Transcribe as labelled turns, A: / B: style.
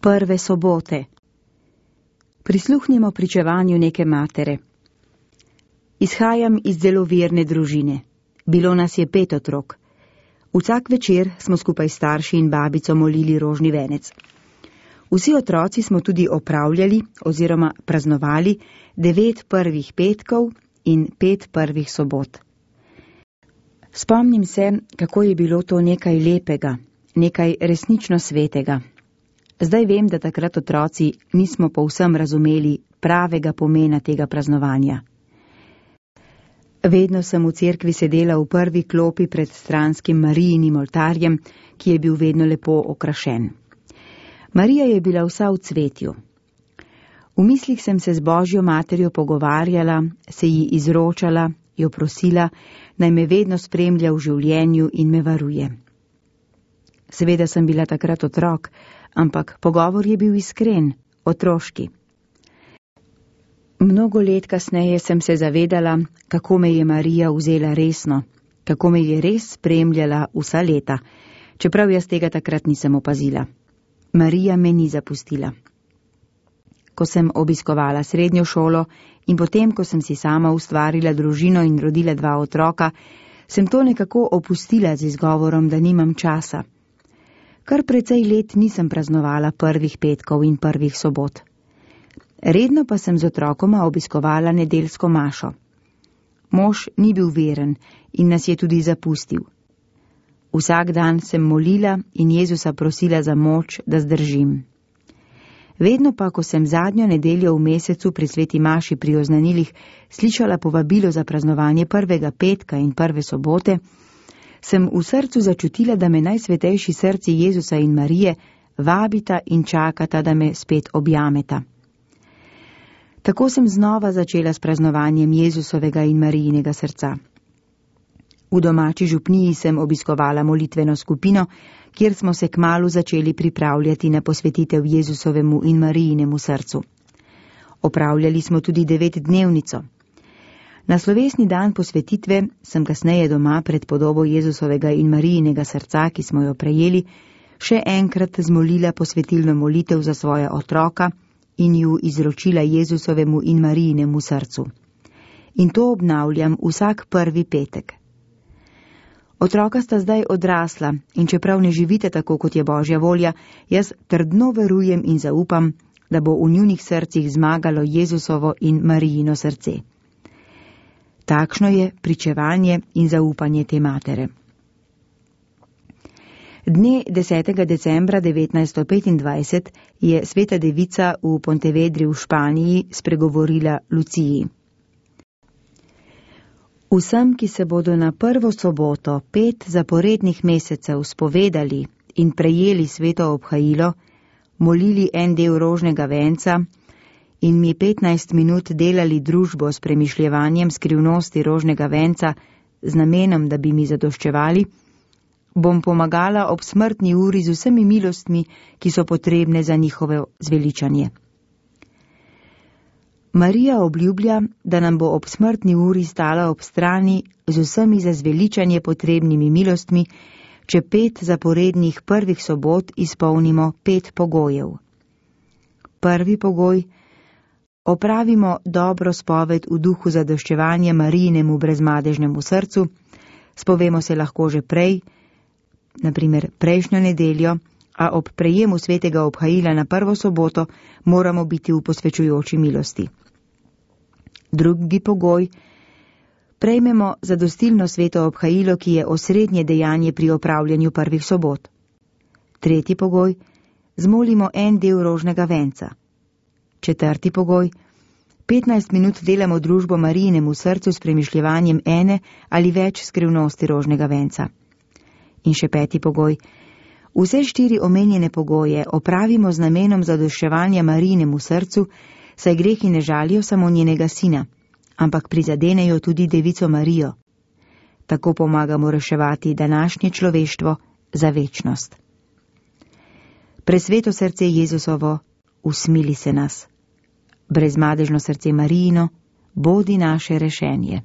A: Prve sobote. Prisluhnimo pričevanju neke matere. Izhajam iz zelo verne družine. Bilo nas je 5 otrok. Vsak večer smo skupaj starši in babico molili rožni venec. Vsi otroci smo tudi opravljali oziroma praznovali 9 prvih petkov in 5 prvih sobot. Spomnim se, kako je bilo to nekaj lepega, nekaj resnično svetega. Zdaj vem, da takrat otroci nismo povsem razumeli pravega pomena tega praznovanja. Vedno sem v cerkvi sedela v prvi klopi pred stranskim Marijinim oltarjem, ki je bil vedno lepo okrašen. Marija je bila vsa v cvetju. V mislih sem se z Božjo materjo pogovarjala, se ji izročala, jo prosila, naj me vedno spremlja v življenju in me varuje. Seveda sem bila takrat otrok, ampak pogovor je bil iskren, otroški. Mnogo let kasneje sem se zavedala, kako me je Marija vzela resno, kako me je res spremljala vsa leta, čeprav jaz tega takrat nisem opazila. Marija me ni zapustila. Ko sem obiskovala srednjo šolo in potem, ko sem si sama ustvarila družino in rodila 2 otroka, sem to nekako opustila z izgovorom, da nimam časa. Kar precej let nisem praznovala prvih petkov in prvih sobot. Redno pa sem z otrokoma obiskovala nedeljsko mašo. Mož ni bil veren in nas je tudi zapustil. Vsak dan sem molila in Jezusa prosila za moč, da zdržim. Vedno pa, ko sem zadnjo nedeljo v mesecu pri sveti maši pri oznanilih slišala povabilo za praznovanje prvega petka in prve sobote, sem v srcu začutila, da me najsvetejši srci Jezusa in Marije vabita in čakata, da me spet objameta. Tako sem znova začela s praznovanjem Jezusovega in Marijinega srca. V domači župniji sem obiskovala molitveno skupino, kjer smo se kmalu začeli pripravljati na posvetitev Jezusovemu in Marijinemu srcu. Opravljali smo tudi 9-dnevnico. Na slovesni dan posvetitve sem kasneje doma pred podobo Jezusovega in Marijinega srca, ki smo jo prejeli, še enkrat zmolila posvetilno molitev za svoja otroka in ju izročila Jezusovemu in Marijinemu srcu. In to obnavljam vsak prvi petek. Otroka sta zdaj odrasla in čeprav ne živite tako, kot je Božja volja, jaz trdno verujem in zaupam, da bo v njunih srcih zmagalo Jezusovo in Marijino srce. Takšno je pričevanje in zaupanje te matere. Dne 10. decembra 1925 je sveta devica v Pontevedri v Španiji spregovorila Luciji. Vsem, ki se bodo na prvo soboto 5 zaporednih mesecev spovedali in prejeli sveto obhajilo, molili en del rožnega venca in mi 15 minut delali družbo s premišljevanjem skrivnosti rožnega venca z namenom, da bi mi zadoščevali, bom pomagala ob smrtni uri z vsemi milostmi, ki so potrebne za njihovo zveličanje. Marija obljublja, da nam bo ob smrtni uri stala ob strani z vsemi za zveličanje potrebnimi milostmi, če 5 zaporednih prvih sobot izpolnimo 5 pogojev. Prvi pogoj: opravimo dobro spoved v duhu zadoščevanja Marijinemu brezmadežnemu srcu, spovemo se lahko že prej, naprimer prejšnjo nedeljo, a ob prejemu svetega obhajila na prvo soboto moramo biti v posvečujoči milosti. Drugi pogoj: prejmemo zadostilno sveto obhajilo, ki je osrednje dejanje pri opravljanju prvih sobot. Tretji pogoj: zmolimo en del rožnega venca. Četrti pogoj: 15 minut delamo družbo Marijinemu srcu s premišljevanjem ene ali več skrivnosti rožnega venca. In še 5. pogoj: vse 4 omenjene pogoje opravimo z namenom zadoščevanja Marijinemu srcu, saj grehi ne žalijo samo njenega sina, ampak prizadenejo tudi devico Marijo. Tako pomagamo reševati današnje človeštvo za večnost. Presveto srce Jezusovo, usmili se nas. Brezmadežno srce Marijino, bodi naše rešenje.